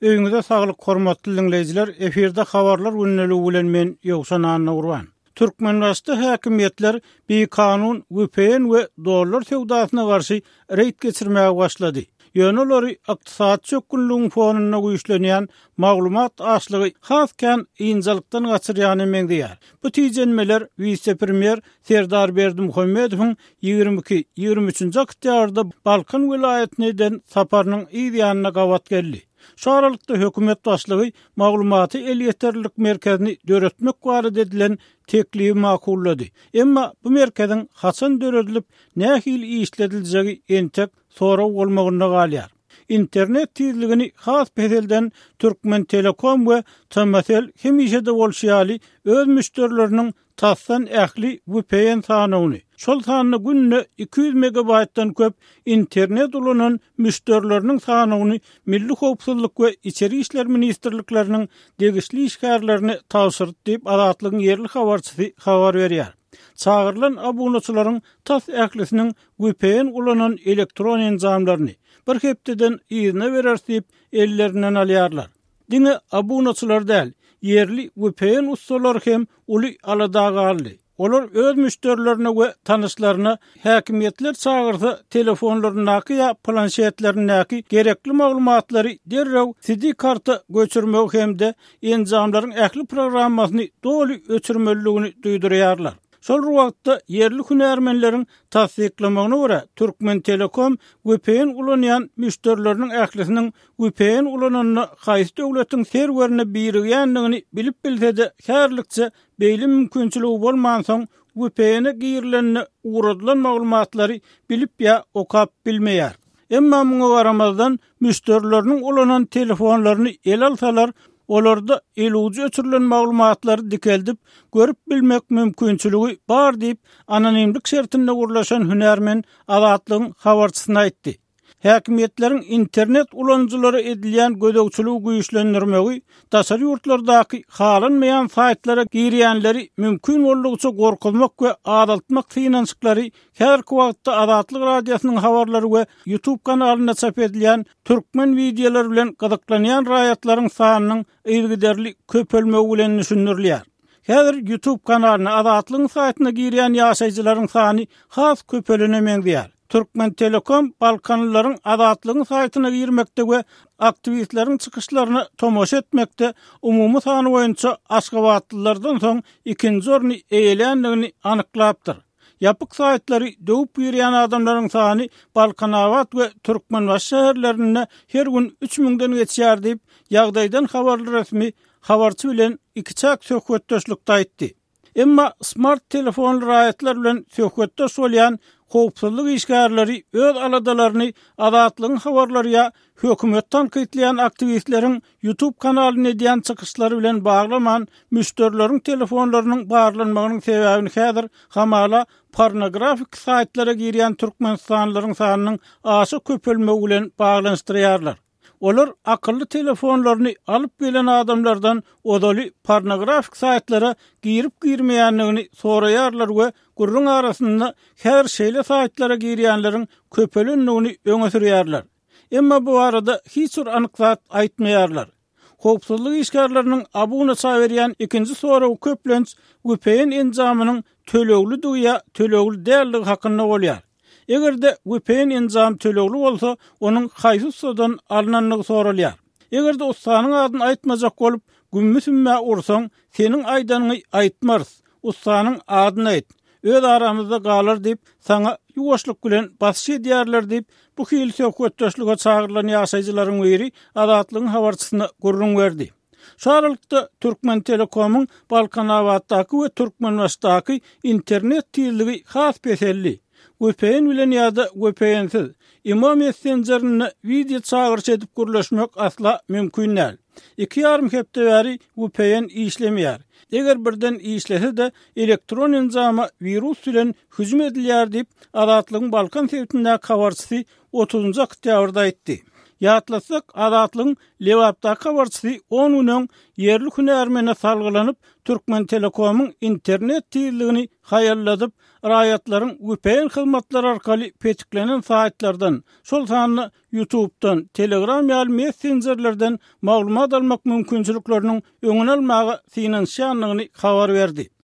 Öýüňize saglyk hormatly diňleýjiler, efirde habarlar gündeligi bilen men Ýowşan Annagurban. Türkmenbaşyda häkimiýetler bikanun vpn we dollar söwdasyna garşy reýd geçirmäge başlady. Ýöne olary ykdysady çökgünligiň fonunda güýçlenýän maglumat açlygy has kän ynjalykdan gaçyrýana meňzeýär. Bu tijenmeler wise-premýer Serdar Berdimuhamedowyň 22, 23-nji oktýabrda Balkan welaýatyna eden saparynyň yz ýanyna gabat geldi. Şu aralykda hökümet başlygy maglumata elýeterlilik merkezini döretmek barada edilen teklibi makullady. Emma bu merkeziň haçan döredilip, nähili işlediljegi entek sorag bolmagynda galýar. Internet tizligini has peselden Türkmentelekom we TMSL hemişe-de bolşy ýaly öz müşderileriniň tasdan ähli vpn sanawyny, şol sanda günde 200 megabaýtdan köp internet ulanan müşderileriniň sanawyny Milli howpsuzlyk we Içeri işler ministrlikleriniň degişli işgärlerine tabşyrdy diýip, Azatlygyň ýerli habarçysy habar berýär. Çagyrylan abunaçylaryň tas ählisiniň vpn ulanan elektron enjamlaryny bir hepdeden yzyna bereris diýip, ellerinden alýarlar. Diňe abunaçylar däl, ýerli vpn ussalary hem uly alada galdy. Olar öz müşderilerine we tanyşlaryna häkimiýetler çagyrsa telefonlaryndaky ýa planşetlerindäki gerekli maglumatlary derrew SD karta göçürmegi hem-de enjamlaryň ähli programmasyny doly öçürmelidigini duýdurýarlar. Şol bir wagtda, ýerli hünärmenleriň tassyklamagyna görä, Türkmentelekom vpn ulanýan müşderileriniň ählisiniň vpn ulananda haýsy döwletiň serwerine birigýändigini bilip bilse-de, häzirlikçe beýle mümkinçiligi bolmansoň, vpn-e girilende ugradylan maglumatlary bilip ýa okap bilmeýär. Emma muňa garamazdan, müşderileriniň ulanan telefonlaryny ele alsalar, olarda elujy öçürilen maglumatlary dikeldip, görüp bilmek mümkinçiligi bar diýip, anonimlik şertinde gürleşen hünärmen Azatlygyň habarçysyna aýtdy. Häkimiýetleriň internet ulanyjylara edilýän gözegçiligi güýçlendirmegi daşary ýurtlardaky halanmaýan saýtlara girýänleri mümkin boldugyça gorkuzmak we azaltmak synanyşyklary häzirki wagtda Azatlyk Radiosynyň habarlary we YouTube kanalynda çap edilýän türkmen wideolary bilen gyzyklanýan raýatlaryň sanynyň yzygiderli köpelmegi bilen düşündirilýär. Häzir YouTube kanalyna Azatlygyň saýtyna girýän ýaşaýjylaryň sany has köpelene meňzeýär. Türkmentelekom balkanlylaryň Azatlygyň saýtyna girmekde we aktiwistleriň çykyşlaryna tomaşa etmekde umumy sany boýunça aşgabatlylardan soň ikinji orny eýeländigini anyklapdyr. Ýapyk saýtlary döwüp girýän adamlaryň sany Balkanabat we Türkmenbaşy şäherlerinde her gün üç müňden geçýär diýip, ýagdaýdan habarly resmi habarçy bilen ikiçäk söhbetdeşlikde aýtdy. Emma smart telefonly raýatlar bilen söhbetdeş bolýan howpsuzlyk işgärleri öz aladalaryny Azatlygyň habarlary ýa hökümeti tankytlaýan aktiwistleriň YouTube kanalynda edýän çykyşlary bilen baglaman, müşderileriň telefonlarynyň barlanmagynyň sebäbini häzir hamala pornografik saýtlara girýän türkmenistanlylaryň sanynyň aşa köpelmegi bilen baglanyşdyrýarlar. Olar akylly telefonlaryny alyp gelen adamlardan ozaly pornografik saýtlara girip-girmeýändigini soraýarlar we gürrüň arasynda häzir şeýle saýtlara girýänleriň köpelendigini öňe sürýärler. Emma bu barada hiç bir anyk zat aýtmaýarlar. Howpsuzlyk işgärleriniň abunaça berýän ikinji soragy köplenç vpn enjamynyň töleglidigi ýa tölegli däldigi hakynda bolýar. Eger-de vpn enjam tölegli bolsa, onuň haýsy ussadan alnandygy soralýar. Eger-de ussanyň adyny aýtmajak bolup, gümmi-sümmä ursaň, seniň aýdanyňy aýtmarys, ussanyň adyny aýt, öz aramyzda galar diýip, saňa ýuwaşlyk bilen basyş edýärler diýip, bu hili söhbetdeşlige çagyrylan ýaşaýjylaryň biri Azatlygyň habarçysyna gürrüň berdi. Şu aralykda, Türkmentelekomyň Balkanabatdaky we Türkmenbaşydaky internet tizligi has peseldi. Vpn bilen ýa-da vpn-siz, imo messenjerinde wideo çagyryş edip gürleşmek asla mümkin däl. Iki ýarym hepde bäri vpn işlemeýär. Eger birden işlese-de, elektron enjama wirus bilen hüjüm edilýär diýip, Azatlygyň Balkan sebitindäki habarçysy otuzynjy oktýabrda aýtdy. Ýatlatsak, Azatlygyň Lebapdaky habarçysy on gün öň ýerli hünärmene salgylanyp, Türkmentelekomyň internet tizligini haýalladyp, raýatlaryň vpn hyzmatlary arkaly petiklenen saýtlardan, şol sanda YouTube-dan, Telegram ýaly messenjerlerden maglumat almak mümkinçilikleriniň öňüni almaga synanyşýandygyny habar berdi.